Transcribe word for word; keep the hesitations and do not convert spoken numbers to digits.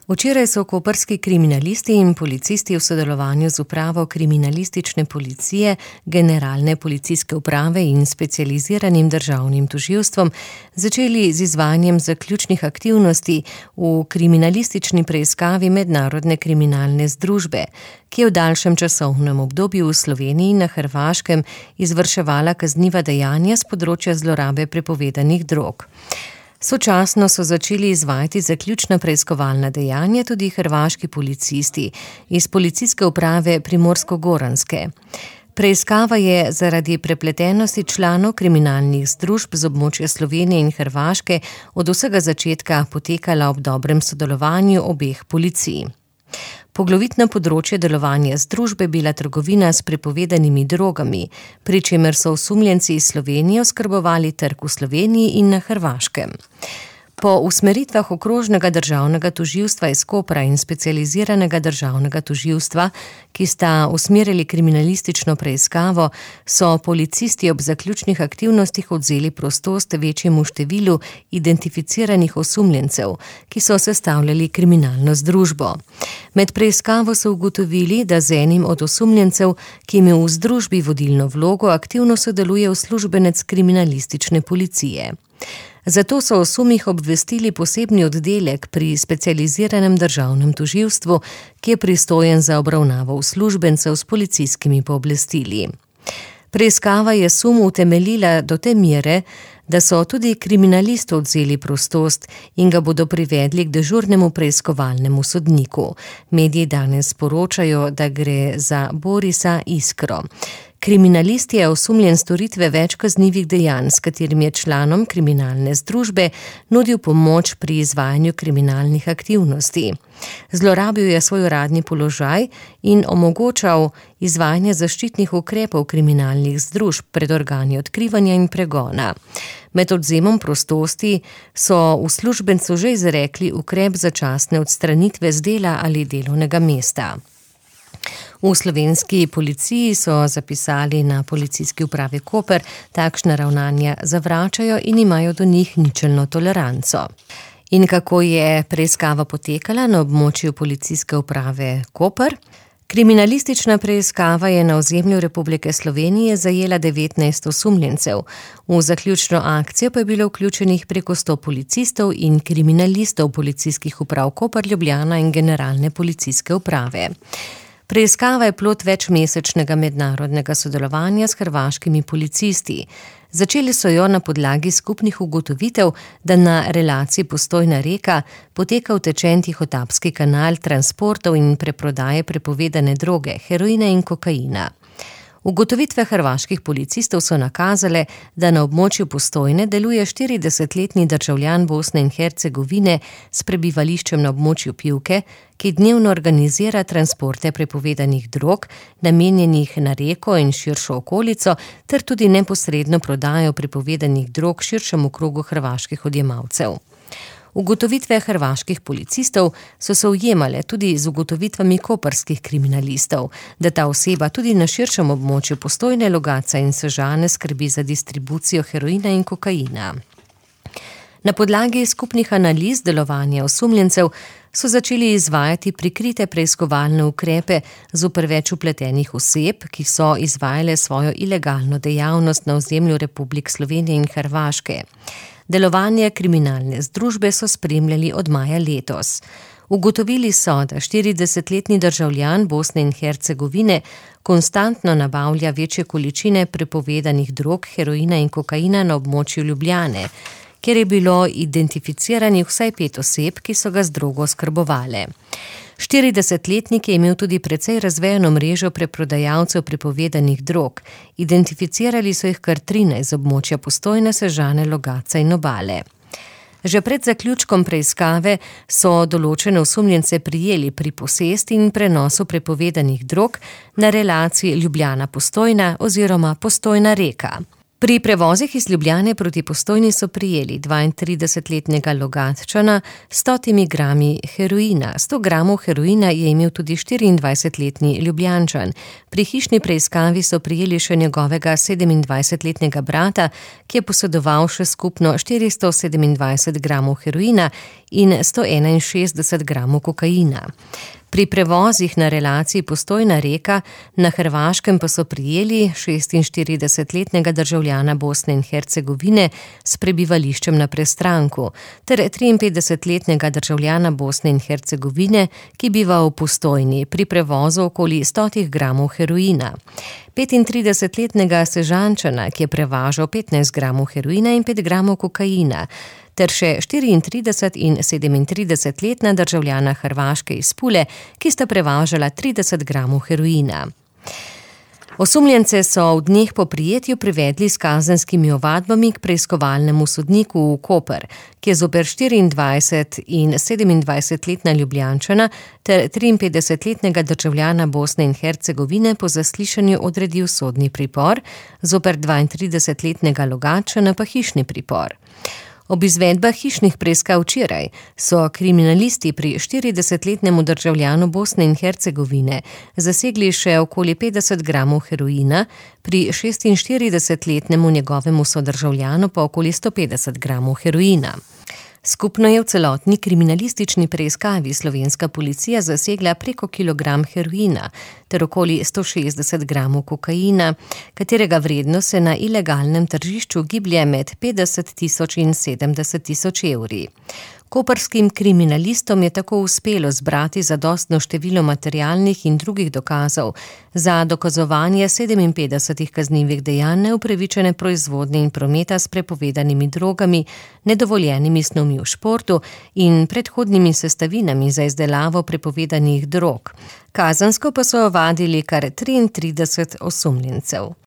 Včeraj so koprski kriminalisti in policisti v sodelovanju z upravo kriminalistične policije, generalne policijske uprave in specializiranim državnim tožilstvom začeli z izvajanjem zaključnih aktivnosti v kriminalistični preiskavi mednarodne kriminalne združbe, ki je v daljšem časovnem obdobju v Sloveniji in na Hrvaškem izvrševala kazniva dejanja s področja zlorabe prepovedanih drog. Sočasno so začeli izvajati zaključna preiskovalna dejanja tudi hrvaški policisti iz policijske uprave Primorsko-Goranske. Preiskava je zaradi prepletenosti članov kriminalnih združb z območja Slovenije in Hrvaške od vsega začetka potekala ob dobrem sodelovanju obeh policij. Poglavitno področje delovanja združbe bila trgovina s prepovedanimi drogami, pri čemer so osumljenci iz Slovenije oskrbovali trg v Sloveniji in na Hrvaškem. Po usmeritvah okrožnega državnega tožilstva iz Kopra in specializiranega državnega tožilstva, ki sta usmerili kriminalistično preiskavo, so policisti ob zaključnih aktivnostih odvzeli prostost večjemu številu identificiranih osumljencev, ki so sestavljali kriminalno združbo. Med preiskavo so ugotovili, da z enim od osumljencev, ki ima v združbi vodilno vlogo, aktivno sodeluje uslužbenec kriminalistične policije. Zato so o sumih obvestili posebni oddelek pri specializiranem državnem tožilstvu, ki je pristojen za obravnavo uslužbencev s policijskimi pooblastili. Preiskava je sum utemeljila do te mere, da so tudi kriminalisti odvzeli prostost in ga bodo privedli k dežurnemu preiskovalnemu sodniku. Mediji danes poročajo, da gre za Borisa Iskro. Kriminalist je osumljen storitve več kaznivih dejanj, s katerim je članom kriminalne združbe nudil pomoč pri izvajanju kriminalnih aktivnosti. Zlorabil je svoj uradni položaj in omogočal izvajanje zaščitnih ukrepov kriminalnih združb pred organi odkrivanja in pregona. Med odvzemom prostosti so uslužbencu že izrekli ukrep začasne odstranitve z dela ali delovnega mesta. V slovenski policiji so zapisali na policijski upravi Koper, takšna ravnanja zavračajo in imajo do njih ničelno toleranco. In kako je preiskava potekala na območju policijske uprave Koper? Kriminalistična preiskava je na ozemlju Republike Slovenije zajela devetnajst osumljencev. V zaključno akcijo pa je bilo vključenih preko sto policistov in kriminalistov policijskih uprav Koper, Ljubljana in generalne policijske uprave. Preiskava je plod večmesečnega mednarodnega sodelovanja s hrvaškimi policisti. Začeli so jo na podlagi skupnih ugotovitev, da na relaciji Postojna reka poteka utečen Tihotapski kanal transportov in preprodaje prepovedane droge, heroina in kokaina. Ugotovitve hrvaških policistov so nakazale, da na območju Postojne deluje štiridesetletni državljan Bosne in Hercegovine s prebivališčem na območju Pivke, ki dnevno organizira transporte prepovedanih drog, namenjenih na reko in širšo okolico, ter tudi neposredno prodajo prepovedanih drog širšemu krogu hrvaških odjemalcev. Ugotovitve hrvaških policistov so se ujemale tudi z ugotovitvami koprskih kriminalistov, da ta oseba tudi na širšem območju Postojne, Logatca in Sežane skrbi za distribucijo heroina in kokaina. Na podlagi skupnih analiz delovanja osumljencev so začeli izvajati prikrite preiskovalne ukrepe zoper več vpletenih oseb, ki so izvajale svojo ilegalno dejavnost na ozemlju Republik Slovenije in Hrvaške. Delovanje kriminalne združbe so spremljali od maja letos. Ugotovili so, da štiridesetletni državljan Bosne in Hercegovine konstantno nabavlja večje količine prepovedanih drog, heroina in kokaina na območju Ljubljane, kjer je bilo identificiranih vsaj pet oseb, ki so ga z drogo oskrbovale. štiridesetletnik je imel tudi precej razvejano mrežo preprodajalcev prepovedanih drog. Identificirali so jih kar trinajst z območja Postojne, Sežane, Logatca in Obale. Že pred zaključkom preiskave so določene osumljence prijeli pri posesti in prenosu prepovedanih drog na relaciji Ljubljana-Postojna oziroma Postojna reka. Pri prevozih iz Ljubljane proti Postojni so prijeli dvaintridesetletnega Logatčana s stotimi grami heroina. sto gramov heroina je imel tudi štiriindvajsetletni Ljubljančan. Pri hišni preiskavi so prijeli še njegovega sedemindvajsetletnega brata, ki je posedoval še skupno štiristo sedemindvajset gramov heroina in sto enainšestdeset gramov kokaina. Pri prevozih na relaciji Postojna-Reka na Hrvaškem pa so prijeli šestinštiridesetletnega državljana Bosne in Hercegovine s prebivališčem na Prestranku ter triinpetdesetletnega državljana Bosne in Hercegovine, ki biva v Postojni pri prevozu okoli stotih gramov heroina. petintridesetletnega Sežančana, ki je prevažal petnajst gramov heroina in pet gramov kokaina, ter še štiriintrideset- in sedemintridesetletna državljana Hrvaške iz Pule, ki sta prevažala trideset gramov heroina. Osumljence so v dneh po prijetju privedli s kazenskimi ovadbami k preiskovalnemu sodniku v Koper, ki je zoper štiriindvajset- in sedemindvajsetletna Ljubljančana ter triinpetdesetletnega državljana Bosne in Hercegovine po zaslišanju odredil sodni pripor, zoper dvaintridesetletnega Logatčana pa hišni pripor. Ob izvedbah hišnih preiskav včeraj so kriminalisti pri štiridesetletnemu državljanu Bosne in Hercegovine zasegli še okoli petdeset gramov heroina, pri šestinštiridesetletnemu njegovemu sodržavljanu pa okoli sto petdeset gramov heroina. Skupno je v celotni kriminalistični preiskavi slovenska policija zasegla preko kilogram heroina ter okoli sto šestdeset gramov kokaina, katerega vrednost se na ilegalnem tržišču giblje med petdeset tisoč in sedemdeset tisoč evri. Koprskim kriminalistom je tako uspelo zbrati zadostno število materialnih in drugih dokazov za dokazovanje sedeminpetdesetih kaznivih dejanj neupravičene proizvodnje in prometa s prepovedanimi drogami, nedovoljenimi snovmi v športu in predhodnimi sestavinami za izdelavo prepovedanih drog. Kazensko pa so ovadili kar triintrideset osumljencev.